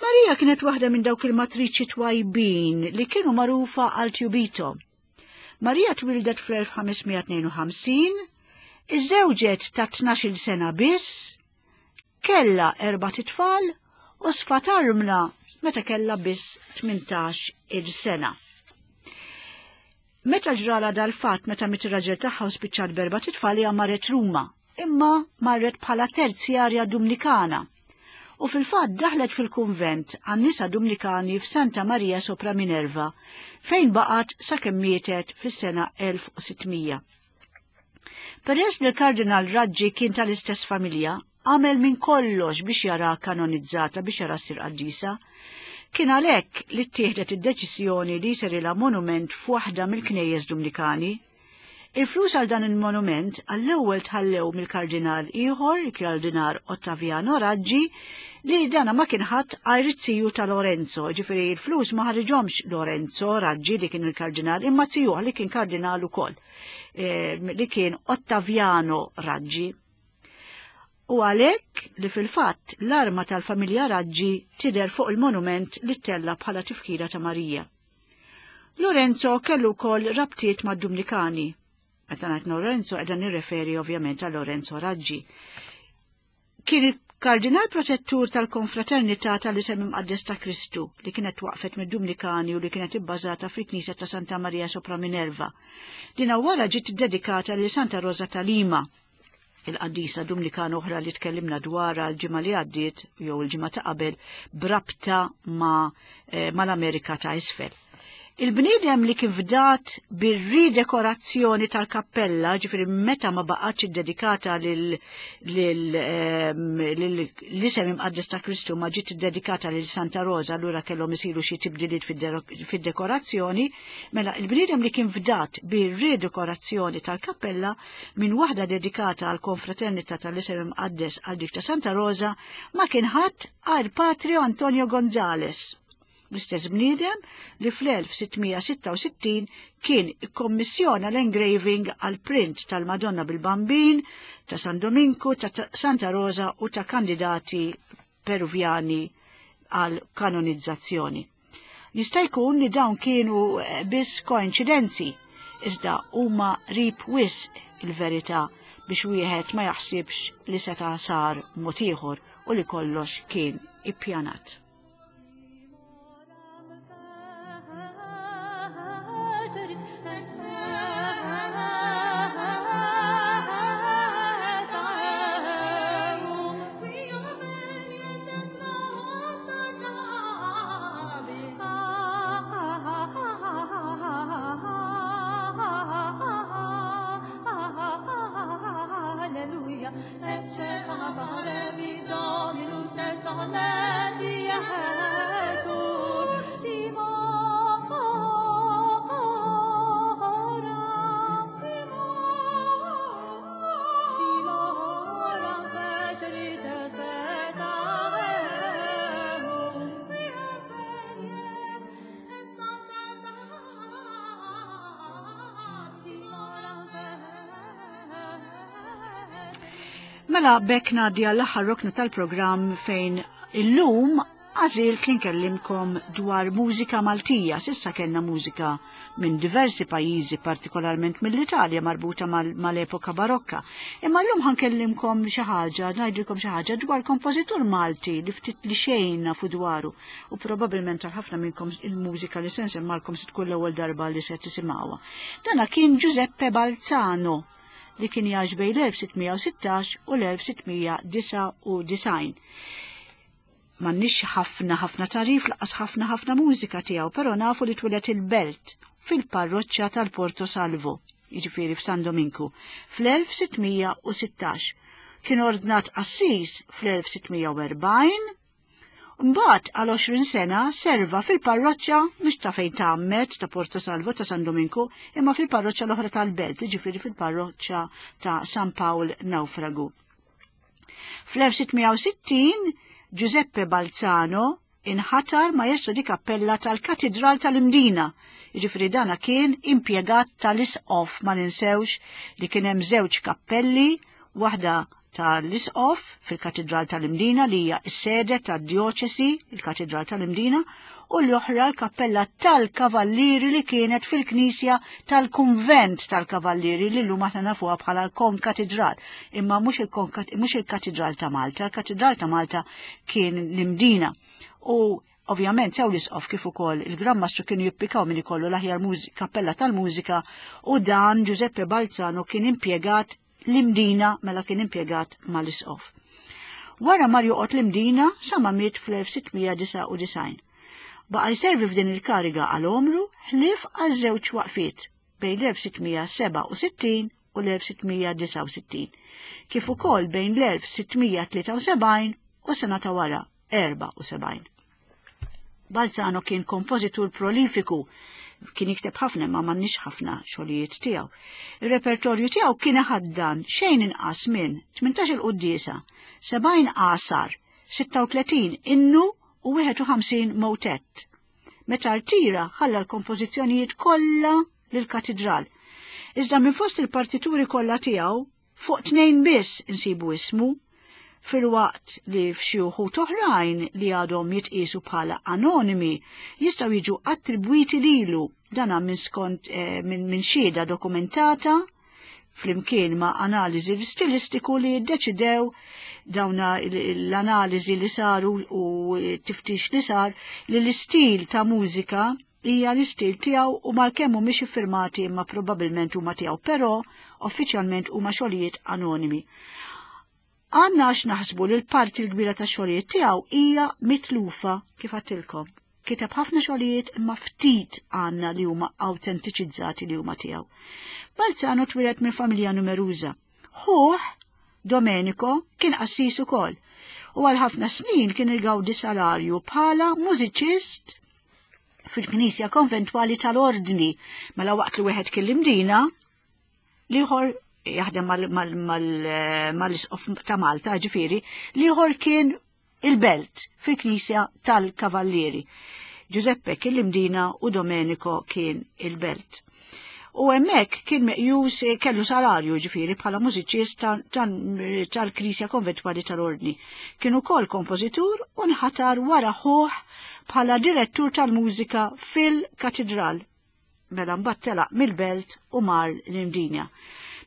Maria kienet waħda minn dawk il-matriċi twajbin li kienu magħrufa għal tjubito. Maria twildet fl-1552, iżżewġet ta' 12 sena biss, Kellha erbat itfal u sfat armla meta kellha biss 18 il sena. Meta ġrala dal-fatt meta miet ir-raġel tagħha u spiċċat b'erbat itfal hija marret Ruma, imma marret bħala terzjarja Dumnikana. U fil-fatt daħlet fil-kunvent għan-nisa Dumnikani f'Santa Maria sopra Minerva, fejn baqgħet sakemm mietet fis-sena 1600. Peress li l-Kardinal Raggi kien tal-istess familja, għamel minn kollox biex jara kanonizzata biex jara ssir qaddisa. Kien għalhekk li ttieħdet id-deċiżjoni li jserilha monument f'waħda mill-knejjes Dumnikani. Il-flus għal dan il-monument għall-ewwel tħallew mill-kardinal ieħor, il-Kardinal Ottaviano Raggi, li dana ma kien ħadd għajr it-tiju ta' Lorenzo, ġifieri l-flus ma ħariġhomx Lorenzo Raggi li kien il-kardinal, imma tijuh li kien kardinal ukoll. Eh, li kien Ottaviano Raggi. U għalhekk li fil-fatt l-arma tal-familja Raggi tidher fuq il-monument li ttella bħala tifkira ta' Marija. Lorenzo kellu wkoll rabtiet mad-Dumnikani. Meta ngħid Lorenzo qiegħda nirreferi ovvjament għal Lorenzo Raggi. Kien Kardinal protettur tal-Konfraternità tal-Isem Imqaddes ta' Kristu li kienet waqfet mid-Dumnikani u li kienet ibbażata fil-Knisja ta' Santa Maria sopra Minerva. Dina wara ġiet iddedikata lil Santa Rosa ta' Lima, il-qaddisa Dumnikana oħra li tkellimna dwarha l-ġimgħa li għaddiet jew il-ġimgħa ta' qabel brabta ma' eh, mal-Amerika ta' isfel. Il-bniedem li kif dat bir-ridekorazzjoni tal-kappella, ġifieri meta ma baqgħetx iddedikata ehm, l-isem imqaddes ta' Kristu ma ġiet iddedikata lil Santa Rosa, allura kellhom isiru xi tibdiliet fid-dekorazzjoni, mela il-bniedem li kien fdat bir-ridekorazzjoni tal-kappella minn waħda dedikata għal konfraternità tal-isem imqaddes għal dik ta' Santa Rosa ma kien ħadd għal Patrio Antonio Gonzales. L-istess bniedem li fl-1666 kien ikkommissjona l-engraving għal print tal-Madonna bil-Bambin, ta' San Dominku, ta' Santa Rosa u ta' kandidati Peruvjani għal kanonizzazzjoni. Jista' jkun li dawn kienu eh, biss koinċidenzi, iżda huma rib wisq il-verità biex wieħed ma jaħsibx li seta' sar mod ieħor u li kollox kien ippjanat. Mela bekk ngħaddi għall-aħħar rokna tal-programm fejn illum għażilt li nkellimkom dwar mużika Maltija. Sissa kellna mużika minn diversi pajjiżi, partikolarment mill-Italja marbuta mal-epoka barokka. Imma llum ħankellimkom xi ħaġa, ngħidilkom xi ħaġa dwar kompożitur Malti li ftit li xejn nafu dwaru u probabbilment għal ħafna minnkom il-mużika li se nsemmalkom se tkun l-ewwel darba li se tisimgħuha. Dana kien Giuseppe Balzano li kien jgħix bejn l-1616 u l-1699. M'għandniex ħafna ħafna tarif laqas ħafna ħafna mużika tiegħu, però nafu li twieled il-Belt fil-parroċċa tal-Porto Salvo, jiġifieri f'San Dominku, fl-1616. Kien ordnat qassis fl-1640 Mbagħad għal 20 sena serva fil-parroċċa mhux ta' fejn tgħammed ta' Porto Salvo ta' San Dominku, imma fil-parroċċa l-oħra tal-belt, jiġifieri fil-parroċċa ta' San Pawl Nawfragu. Fl-1660 Giuseppe Balzano inħatar maestro di kappella tal-Katidral tal-Imdina, jiġifieri dana kien impjegat tal-isqof ma ninsewx li kien hemm żewġ kappelli, waħda tal-Isqof fil-Katidral tal-Imdina li hija s-sede tad-djoċesi, il-Katidral tal-Imdina, u l-oħra l-kappella tal-Kavallieri li kienet fil-knisja tal-Kunvent tal-Kavallieri li llum aħna nafuha bħala l-Konkatidral. Imma mhux il-Katidral ta' Malta, il-Katidral ta' Malta kien l-Imdina. U Ovvjament sew l-isqof kif ukoll il-Gran Mastru kienu jippikaw min ikollu l-aħjar kappella tal-mużika u dan Giuseppe Balzano kien impjegat l-Imdina mela kien impjegat mal-isqof. Wara mar joqgħod l-Imdina sa ma miet fl-1699. Baqa' jservi f'din il-kariga għal għomru ħlief għal żewġ waqfiet bejn l-1667 u l-1669, kif ukoll bejn l-1673 u sena ta' wara 74. Balzano kien kompożitur prolifiku, kien jikteb ħafna imma m'għandniex ħafna xogħlijiet tiegħu. Ir-repertorju tiegħu kien iħaddan xejn inqas minn 18 il-quddiesa, 70 għasar, 36 innu u 51 motett. Meta rtira ħalla l-kompożizzjonijiet kollha lill-katidral. Iżda minn fost il-partituri kollha tiegħu Fuq tnejn biss insibu ismu, filwaqt li f'xi wħud oħrajn li għadhom jitqiesu bħala anonimi jistgħu jiġu attribwiti lilu dana minn skont eh, minn min xhieda dokumentata flimkien ma' analiżi stilistiku li ddeċidew dawna l-analiżi li saru u tiftix li sar li l-istil ta' mużika hija l-istil tiegħu u malkemm mhumiex iffirmati imma probabbilment huma tiegħu, però uffiċjalment huma xogħlijiet anonimi. Għandna għax naħsbu li l-parti l-kbira ta' xogħlijiet tiegħu hija mitlufa kif għattilkom. Kiteb ħafna xogħlijiet imma ftit għandna li huma awtentiċizzati li huma tiegħu. Balzano twieled minn familja numeruża. Ħuh, Domenico, kien qassis ukoll u għal ħafna snin kien igawdi salarju bħala mużiċist fil-Knisja Konventwali tal-Ordni. Mela waqt li wieħed kien l-Imdina, liħor jaħdem mal-isqof ta' Malta, ġifieri, liħor kien il-belt fil-Knisja tal-Kavallieri. Giuseppe kien l-Imdina u Domenico kien il-belt. U hemmhekk kien meqjus eh, kellu salarju ġifieri bħala mużiċist tal-Knisja Konventwali tal-Ordni. Kien ukoll kompożitur u nħatar wara ħuh bħala direttur tal-mużika fil-Katidral. Mela mbagħad telaq mill-belt u mar l-Imdinja.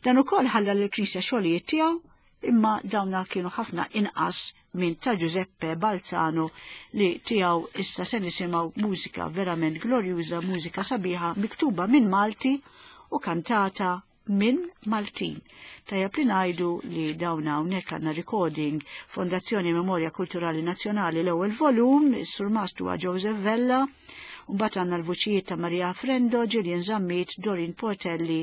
Dan ukoll ħalla lill-Knisja xogħlijiet tiegħu imma dawna kienu ħafna inqas minn ta' Giuseppe Balzano li tiegħu issa se nisimgħu mużika verament glorjuża, mużika sabiħa miktuba minn Malti u kantata minn Maltin. Tajjeb li ngħidu li dawn hawnhekk għandna recording Fondazzjoni Memorja Kulturali Nazzjonali l-ewwel volum, is-surmast huwa Joseph Vella, mbagħad għandna l-vuċijiet ta' Maria Frendo, Gillian Zammit, Dorin Portelli,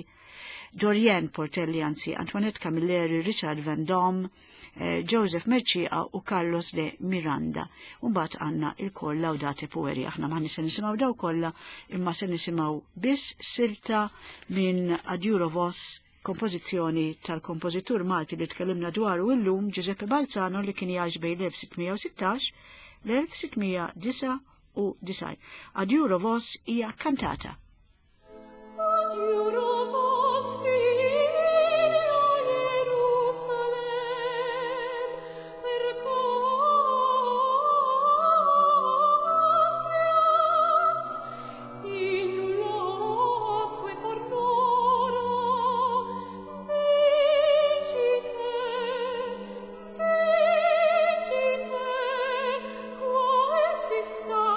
Dorian Portelli anzi, Antoinette Camilleri, Richard Van Dom, eh, Joseph Merċieqa u Carlos de Miranda. Mbagħad għandna il-kor Laudate Pueri. Aħna ma se nisimgħu daw kollha, imma se nisimgħu biss silta minn Adjuro Vos kompożizzjoni tal-kompożitur Malti li tkellimna dwaru illum Giuseppe Balzano li kien jgħix bejn l-1616 l-1699. Adjuro Vos hija kantata. Adjuro vos, filia Jerusalem, per copias in nulosque cornora dicite, dicite, quae si sta,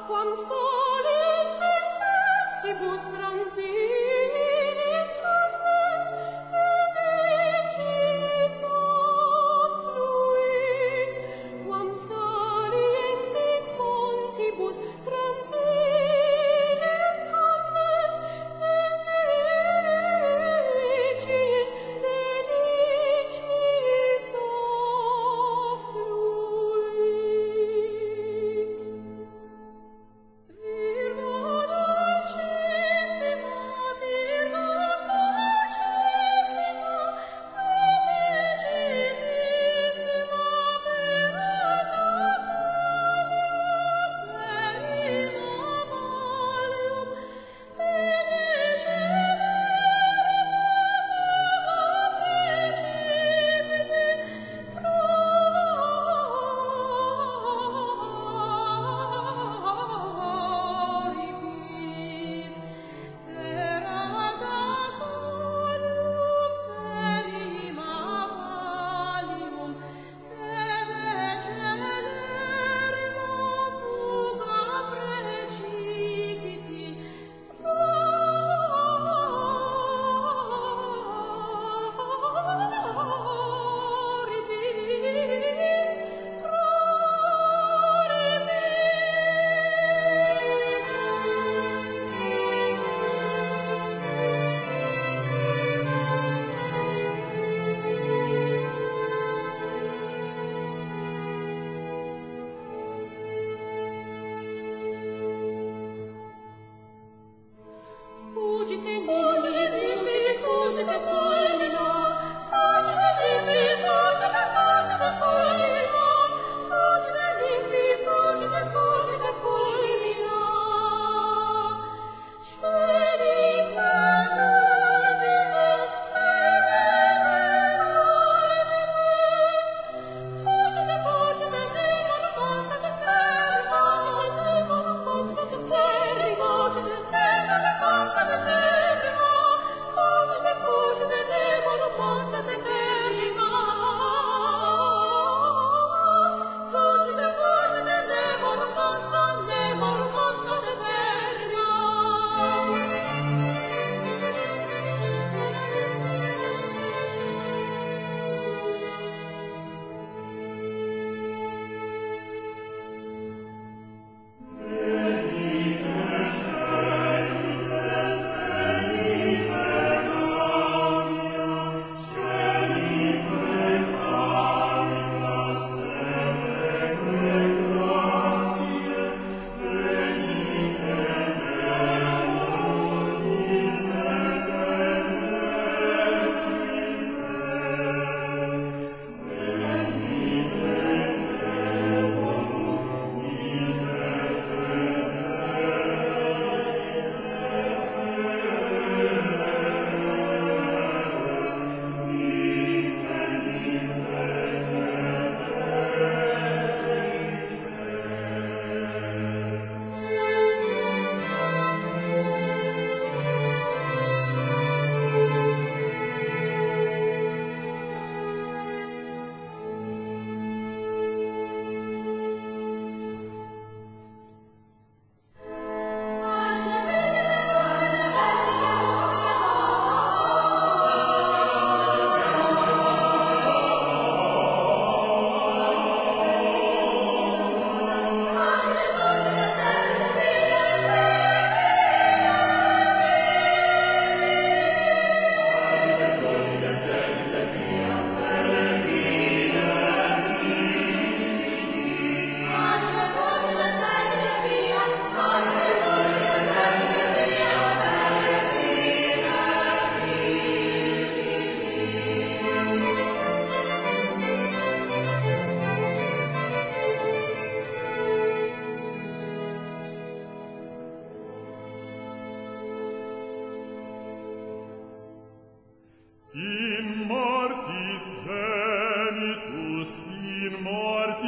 quam solet in petibus transilit.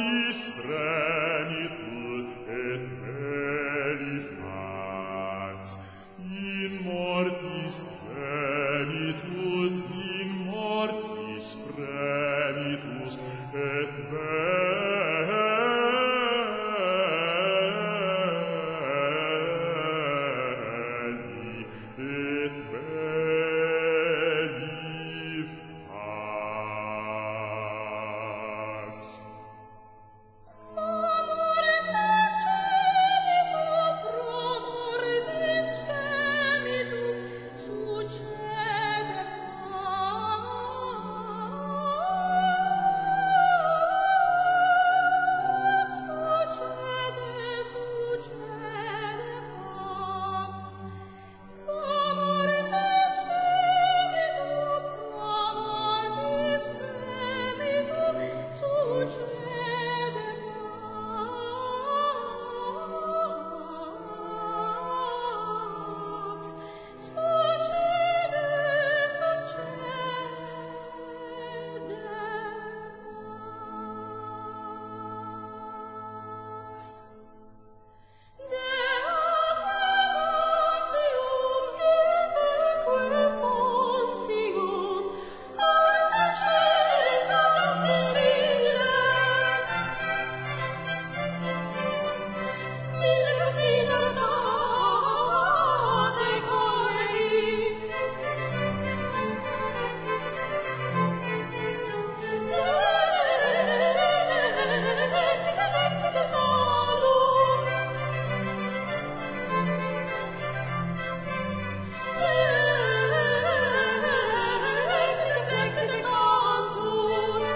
mortis fremitus et belli fax. In mortis fremitus, in mortis fremitus et belli, et belli fax. Amor fecemitu, pro mortis femitu, succede pax, succede, succede pax. Pro mortis femitu, pro mortis femitu, succede pax, succede, succede pax. Dea quem diveque fontium, ars celis auxiliis. Mille cosina date coelis. Vecte salus. Vecte cantus.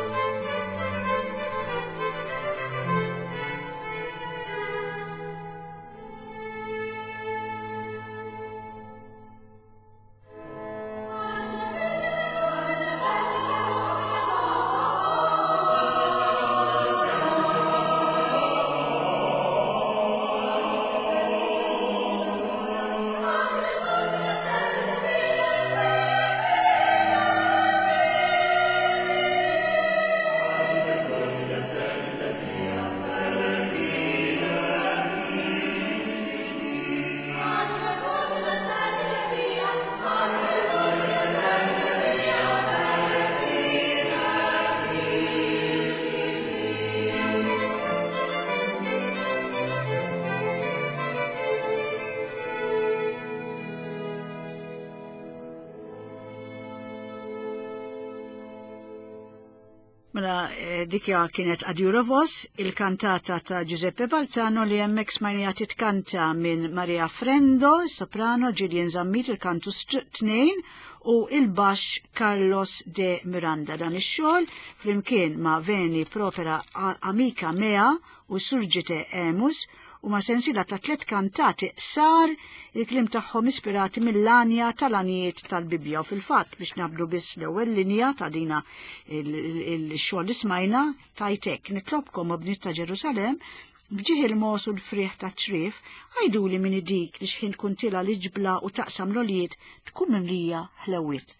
Mela, dikja kienet Adjurovos, il-kantata ta' Giuseppe Balzano li hemmhekk smajnija titkanta minn Maria Frendo, soprano, Gillian Zammit, il-kantu tnejn, u il-baxx Carlos de Miranda. Dan ix-xogħol flimkien ma' Veni Propera Amica Mea u Surgite Emus u ma' sensiela ta' tliet kantati sar il-kliem tagħhom ispirati mill-anja tal-anijiet tal-Bibbja. U fil-fatt biex nabdu biss l-ewwel linja ta' dina il-xogħol li smajna tajtek nitlobkom o bniet ta' Ġerusalemm b'ġieħ il-mos u l-frieħ ta' ċrif, għajduli min dik li xħin tkun tila l-ġbla u taqsam l-olijiet tkun mimlija ħlewiet.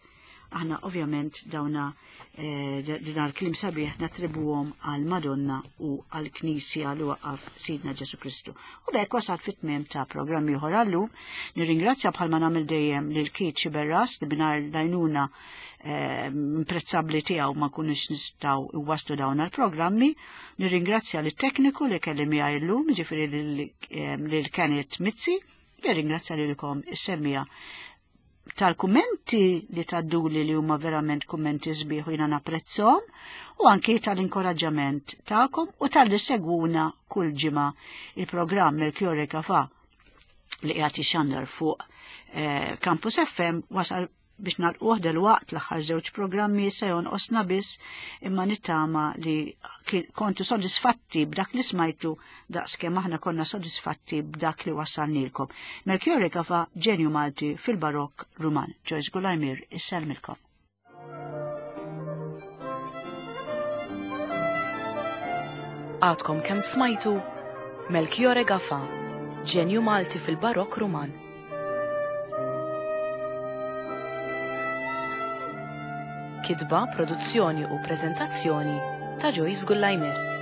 Aħna ovvjament dawna din l-kliem sabiħ nattribuhom għal Madonna u għal Knisja li waqqaf Sidna Ġesu Kristu. U b'hekk wasalt fit-tmiem ta' programm ieħor għallum. Nirringrazzja bħalma nagħmel dejjem lil Keith Sciberras li mingħajr l-għajnuna imprezzabbli tiegħu ma kunux nistgħu iwasslu dawn għall-programmi. Nirringrazzja lit-tekniku li kelli miegħi llum, jiġifieri lil Kenneth Mizzi, nirringrazzja lilkom is-semmija tal-kummenti li tadduli li huma verament kummenti sbieħ u jiena napprezzhom, u anki tal-inkoraġġament tagħkom u tal-li segwuna kull ġimgħa il-programm Melchiorre Gafà li qiegħed jixandar fuq Campus FM wasal biex nagħlquh delwaqt l-aħħar żewġ programmi se jonqosna biss, imma nittama li kontu sodisfatti b'dak li smajtu daqskemm aħna konna sodisfatti b'dak li wassalnilkom. Melchiorre Gafà, ġenju Malti fil-Barokk Ruman. Joyce Gulajmir, isselmilkom. Għadkom kemm smajtu Melchiorre Gafà, ġenju Malti fil-Barokk Ruman. Kitba, produzzjoni u preżentazzjoni ta' Joyce Gullajmir.